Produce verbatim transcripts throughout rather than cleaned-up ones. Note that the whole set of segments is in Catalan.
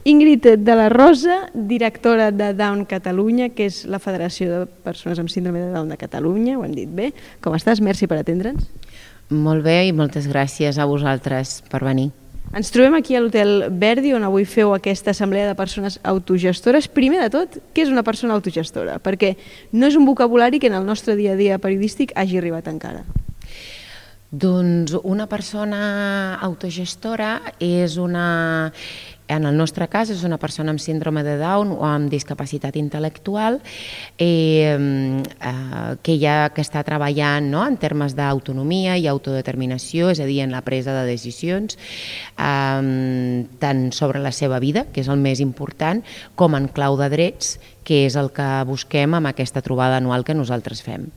Ingrid de la Rosa, directora de Down Catalunya, que és la Federació de Persones amb Síndrome de Down de Catalunya, ho hem dit bé. Com estàs? Merci per atendre'ns. Molt bé i moltes gràcies a vosaltres per venir. Ens trobem aquí a l'Hotel Verdi, on avui feu aquesta assemblea de persones autogestores. Primer de tot, què és una persona autogestora? Perquè no és un vocabulari que en el nostre dia a dia periodístic hagi arribat encara. Doncs una persona autogestora és una... En el nostre cas és una persona amb síndrome de Down o amb discapacitat intel·lectual eh, eh, que, ja, que està treballant, no?, en termes d'autonomia i autodeterminació, és a dir, en la presa de decisions, eh, tant sobre la seva vida, que és el més important, com en clau de drets, que és el que busquem amb aquesta trobada anual que nosaltres fem.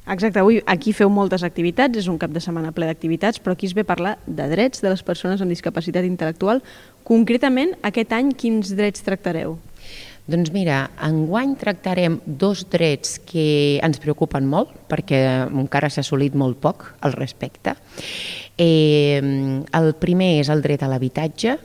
Exacte, avui aquí feu moltes activitats, és un cap de setmana ple d'activitats, però aquí es ve a parlar de drets de les persones amb discapacitat intel·lectual. Concretament, aquest any, quins drets tractareu? Doncs mira, enguany tractarem dos drets que ens preocupen molt, perquè encara s'ha assolit molt poc al respecte. Eh, el primer és el dret a l'habitatge,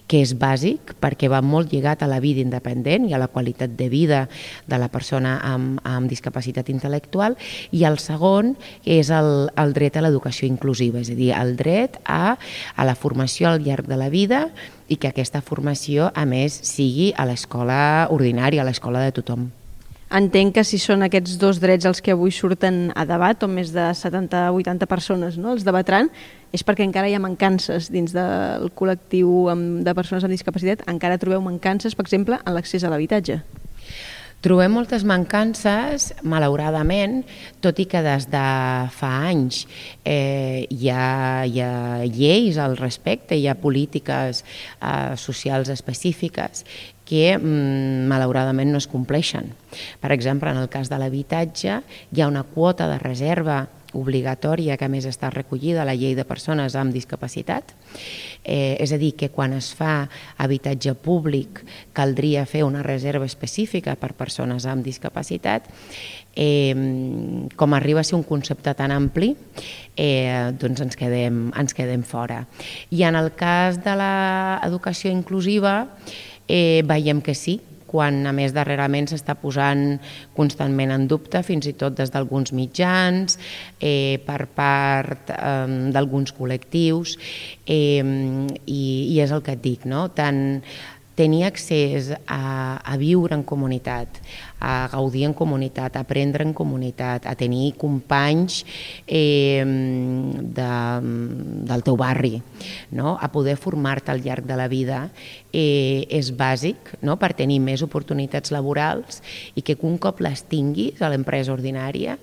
que és bàsic perquè va molt lligat a la vida independent i a la qualitat de vida de la persona amb, amb discapacitat intel·lectual, i el segon és el, el dret a l'educació inclusiva, és a dir, el dret a, a la formació al llarg de la vida i que aquesta formació, a més, sigui a l'escola ordinària, a l'escola de tothom. Entenc que si són aquests dos drets els que avui surten a debat, on més de setanta a vuitanta persones, no?, els debatran, és perquè encara hi ha mancances dins del col·lectiu de persones amb discapacitat. Encara trobeu mancances, per exemple, en l'accés a l'habitatge. Trobem moltes mancances, malauradament, tot i que des de fa anys eh, hi, ha, hi ha lleis al respecte, hi ha polítiques eh, socials específiques que mm, malauradament no es compleixen. Per exemple, en el cas de l'habitatge hi ha una quota de reserva obligatòria que a més està recollida a la llei de persones amb discapacitat, eh, és a dir, que quan es fa habitatge públic caldria fer una reserva específica per persones amb discapacitat. Eh, com arriba a ser un concepte tan ampli, eh, doncs ens quedem, ens quedem fora. I en el cas de l'educació inclusiva eh, veiem que sí, quan a més darrerament s'està posant constantment en dubte, fins i tot des d'alguns mitjans, eh, per part eh, d'alguns col·lectius, eh, i, i és el que et dic, no? Tant tenir accés a, a viure en comunitat, a gaudir en comunitat, a aprendre en comunitat, a tenir companys eh, de, del teu barri, no?, a poder formar-te al llarg de la vida, eh, és bàsic, no?, per tenir més oportunitats laborals i que un cop les tinguis a l'empresa ordinària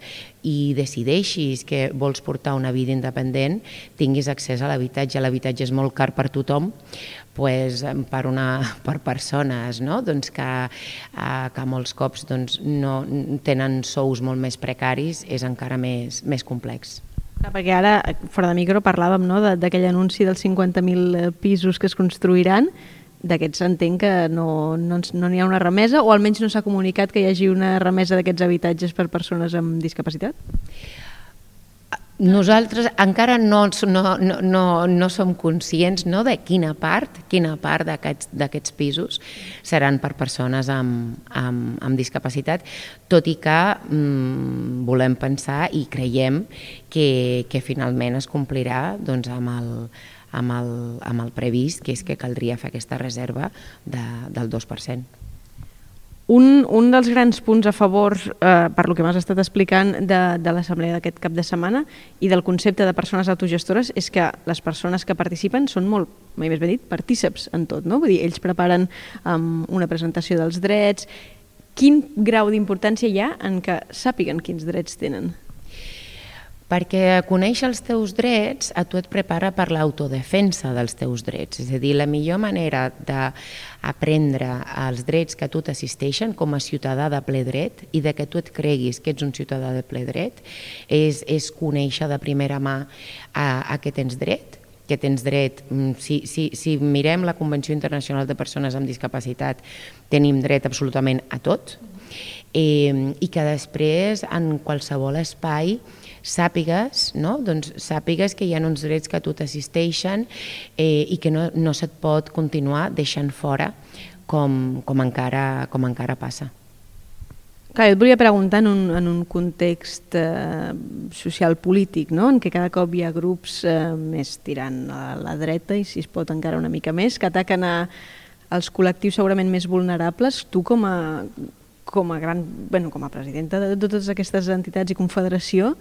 i decideixis que vols portar una vida independent, tinguis accés a l'habitatge. L'habitatge és molt car per tothom, pues, per, una, per persones, no?, doncs que, eh, que molts cops doncs, no, tenen sous molt més precaris, és encara més, més complex. Perquè ara, fora de micro, parlàvem, no?, d'aquell anunci dels cinquanta mil pisos que es construiran. D'aquests entenc que no n'hi no, no ha una remesa, o almenys no s'ha comunicat que hi hagi una remesa d'aquests habitatges per persones amb discapacitat? Nosaltres encara no, no, no, no som conscients, no, de quina part, quina part d'aquests pisos seran per persones amb, amb, amb discapacitat, tot i que mm, volem pensar i creiem que, que finalment es complirà doncs, amb, el, amb, el, amb el previst, que és que caldria fer aquesta reserva de, del dos per cent. Un, un dels grans punts a favor, eh, per lo que m'has estat explicant, de, de l'assemblea d'aquest cap de setmana i del concepte de persones autogestores és que les persones que participen són molt, mai més ben dit, partíceps en tot, no? Vull dir, ells preparen um, una presentació dels drets. Quin grau d'importància hi ha en que sàpiguen quins drets tenen? Perquè conèixer els teus drets a tu et prepara per l'autodefensa dels teus drets. És a dir, la millor manera d'aprendre els drets que a tu t'assisteixen com a ciutadà de ple dret i de que tu et creguis que ets un ciutadà de ple dret és, és conèixer de primera mà a, a què tens dret, que tens dret, si, si, si mirem la Convenció Internacional de Persones amb Discapacitat, tenim dret absolutament a tot, eh, i que després en qualsevol espai sàpigues, no? Doncs sàpigues que hi ha uns drets que a tu t'assisteixen eh, i que no, no se't pot continuar deixant fora com, com, encara, com encara passa. Clar, jo et volia preguntar en un, en un context eh, social-polític, no? En què cada cop hi ha grups eh, més tirant a la dreta i si es pot encara una mica més, que ataquen a, als col·lectius segurament més vulnerables. Tu com a, com a, gran, bueno, com a presidenta de totes aquestes entitats i confederació,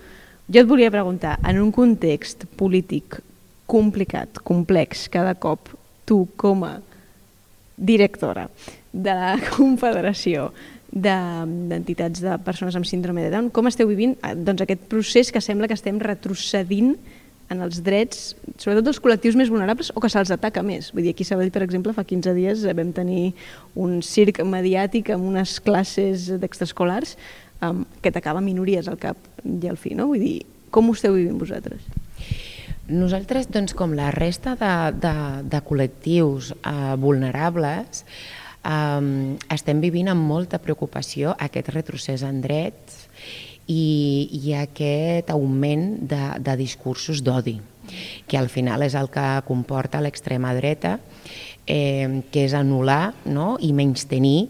jo et volia preguntar, en un context polític complicat, complex, cada cop, tu com a directora de la confederació d'entitats de persones amb síndrome de Down, com esteu vivint doncs, aquest procés que sembla que estem retrocedint en els drets, sobretot dels col·lectius més vulnerables o que se'ls ataca més? Vull dir, aquí a Sabadell, per exemple, fa quinze dies vam tenir un circ mediàtic amb unes classes d'extraescolars um, que atacava minories al cap i al fi, no? Vull dir, com ho esteu vivint vosaltres? Nosaltres, doncs, com la resta de, de, de col·lectius eh, vulnerables, Um, estem vivint amb molta preocupació aquest retrocés en drets i, i aquest augment de, de discursos d'odi, que al final és el que comporta l'extrema dreta, eh, que és anul·lar, no? I menystenir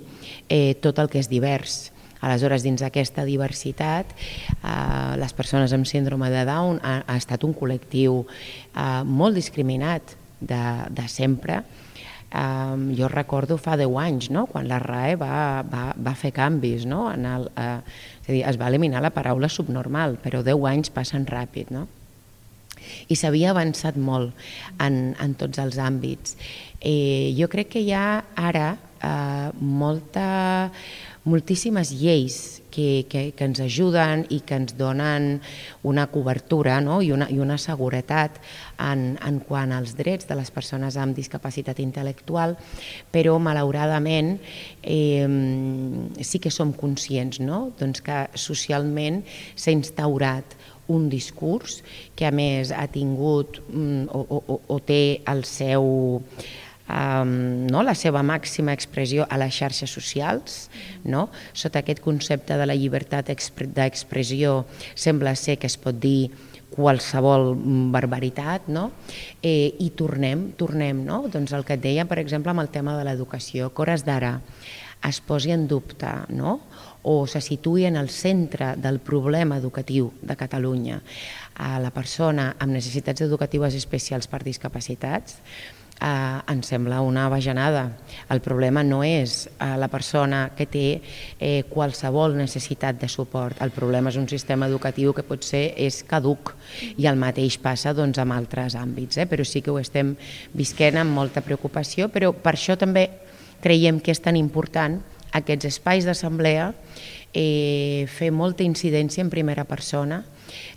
eh, tot el que és divers. Aleshores, dins d'aquesta diversitat, eh, les persones amb síndrome de Down ha, ha estat un col·lectiu eh, molt discriminat de, de sempre. Um, jo recordo fa deu anys, no? Quan la R A E va, va, va fer canvis, no? En el, uh, és a dir, es va eliminar la paraula subnormal, però deu anys passen ràpid, no? I s'havia avançat molt en, en tots els àmbits. Eh, jo crec que hi ha ara eh, molta, moltíssimes lleis que, que, que ens ajuden i que ens donen una cobertura, no? I, una, i una seguretat en, en quant als drets de les persones amb discapacitat intel·lectual, però malauradament eh, sí que som conscients, no? Doncs que socialment s'ha instaurat un discurs que a més ha tingut mm, o, o, o té el seu... Um, no? la seva màxima expressió a les xarxes socials, no? Sota aquest concepte de la llibertat d'expressió sembla ser que es pot dir qualsevol barbaritat, no? Eh, i tornem, tornem, no? Doncs el que et deia, per exemple, amb el tema de l'educació, que hores d'ara es posi en dubte, no? O se situï en el centre del problema educatiu de Catalunya a la persona amb necessitats educatives especials per discapacitats, Uh, ens sembla una bajanada. El problema no és uh, la persona que té eh, qualsevol necessitat de suport. El problema és un sistema educatiu que potser és caduc i el mateix passa doncs, amb altres àmbits, eh? Però sí que ho estem visquent amb molta preocupació, però per això també creiem que és tan important aquests espais d'assemblea, eh, fer molta incidència en primera persona,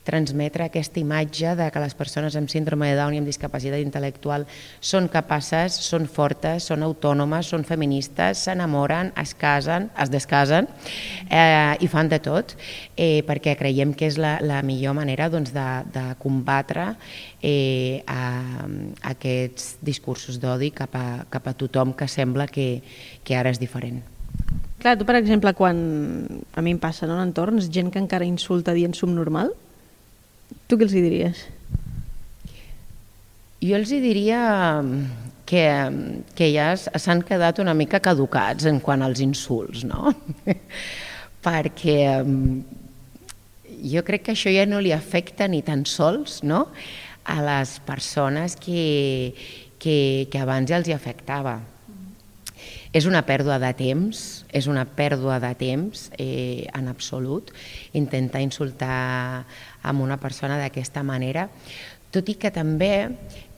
transmetre aquesta imatge de que les persones amb síndrome de Down i amb discapacitat intel·lectual són capaces, són fortes, són autònomes, són feministes, s'enamoren, es casen, es descasen eh, i fan de tot, eh, perquè creiem que és la, la millor manera doncs, de, de combatre eh, a, a aquests discursos d'odi cap, a, cap a tothom que sembla que, que ara és diferent. Clar, tu, per exemple, quan a mi em passa en entorns, gent que encara insulta dient subnormal, tu què els hi diries? Jo els hi diria que, que ja s'han quedat una mica caducats en quant als insults, no? Perquè jo crec que això ja no li afecta ni tan sols, no? A les persones que, que, que abans ja els hi afectava. És una pèrdua de temps, és una pèrdua de temps eh, en absolut, intentar insultar amb una persona d'aquesta manera, tot i que també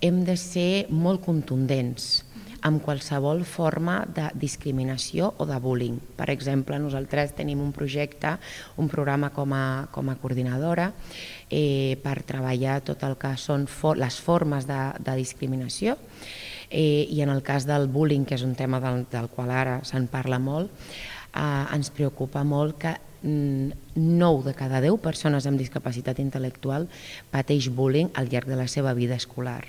hem de ser molt contundents amb qualsevol forma de discriminació o de bullying. Per exemple, nosaltres tenim un projecte, un programa com a, com a coordinadora eh, per treballar tot el que són for les formes de, de discriminació. Eh, I en el cas del bullying, que és un tema del, del qual ara se'n parla molt, eh, ens preocupa molt que nou de cada deu persones amb discapacitat intel·lectual pateix bullying al llarg de la seva vida escolar.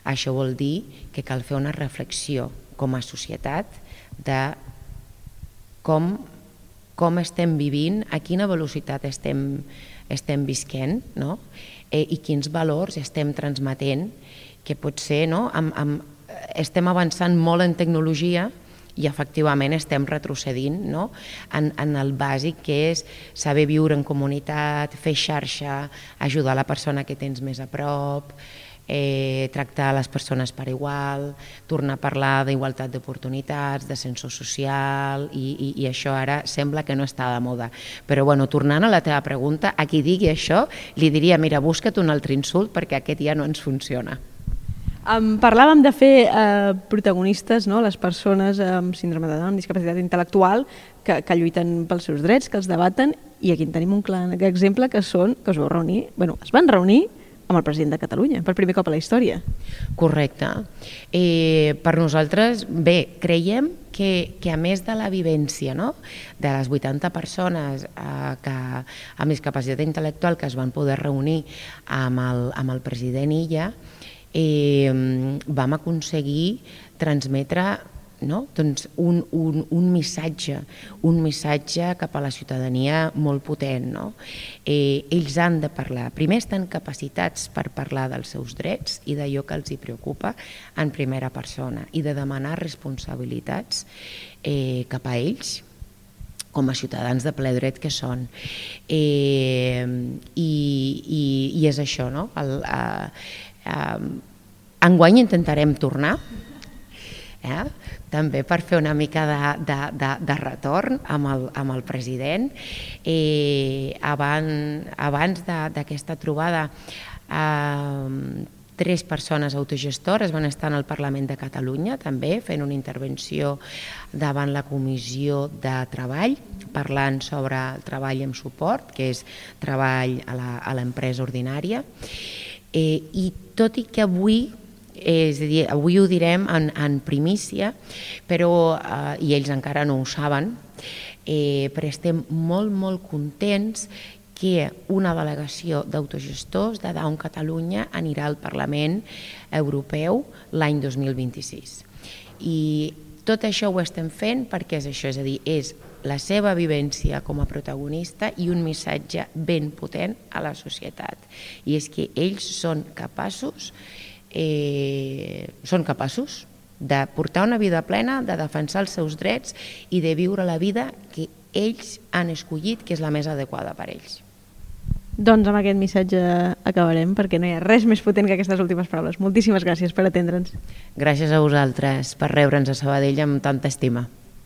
Això vol dir que cal fer una reflexió com a societat de com com estem vivint, a quina velocitat estem, estem visquent, no? eh, i quins valors estem transmetent, que potser no? amb, amb, estem avançant molt en tecnologia i efectivament estem retrocedint, no? en, en el bàsic que és saber viure en comunitat, fer xarxa, ajudar la persona que tens més a prop, eh, tractar les persones per igual, tornar a parlar d'igualtat d'oportunitats, d'ascensor social, i, i, i això ara sembla que no està de moda. Però bueno, tornant a la teva pregunta, a qui digui això li diria, mira, busca't un altre insult perquè aquest ja no ens funciona. Um, parlàvem de fer uh, protagonistes, no? Les persones amb síndrome de Down, amb discapacitat intel·lectual, que, que lluiten pels seus drets, que els debaten, i aquí en tenim un clar exemple que són, que us vau reunir, bueno, es van reunir amb el president de Catalunya, per primer cop a la història. Correcte. Eh, per nosaltres, bé, creiem que, que a més de la vivència, no? de les vuitanta persones eh, que, amb discapacitat intel·lectual que es van poder reunir amb el, amb el president Illa, Eh, vam aconseguir transmetre no? doncs un, un, un missatge, un missatge cap a la ciutadania molt potent. No? Eh, ells han de parlar, primer estan capacitats per parlar dels seus drets i d'allò que els hi preocupa en primera persona i de demanar responsabilitats eh, cap a ells com a ciutadans de ple dret que són. Eh, i, i, I és això, no? El, eh, Uh, enguany intentarem tornar, eh? també per fer una mica de, de, de, de retorn amb el, amb el president. Eh, abans abans d'aquesta trobada, eh, tres persones autogestores van estar en el Parlament de Catalunya també fent una intervenció davant la Comissió de Treball, parlant sobre el treball amb suport, que és treball a l'empresa ordinària. Eh, I tot i que avui, és a dir, avui ho direm en, en primícia, però, eh, i ells encara no ho saben, eh, però estem molt, molt contents que una delegació d'autogestors de Down Catalunya anirà al Parlament Europeu l'any dos mil vint-i-sis. I tot això ho estem fent perquè és això, és a dir, és la seva vivència com a protagonista i un missatge ben potent a la societat. I és que ells són capaços, eh, són capaços de portar una vida plena, de defensar els seus drets i de viure la vida que ells han escollit, que és la més adequada per ells. Doncs amb aquest missatge acabarem, perquè no hi ha res més potent que aquestes últimes paraules. Moltíssimes gràcies per atendre'ns. Gràcies a vosaltres per rebre'ns a Sabadell amb tanta estima.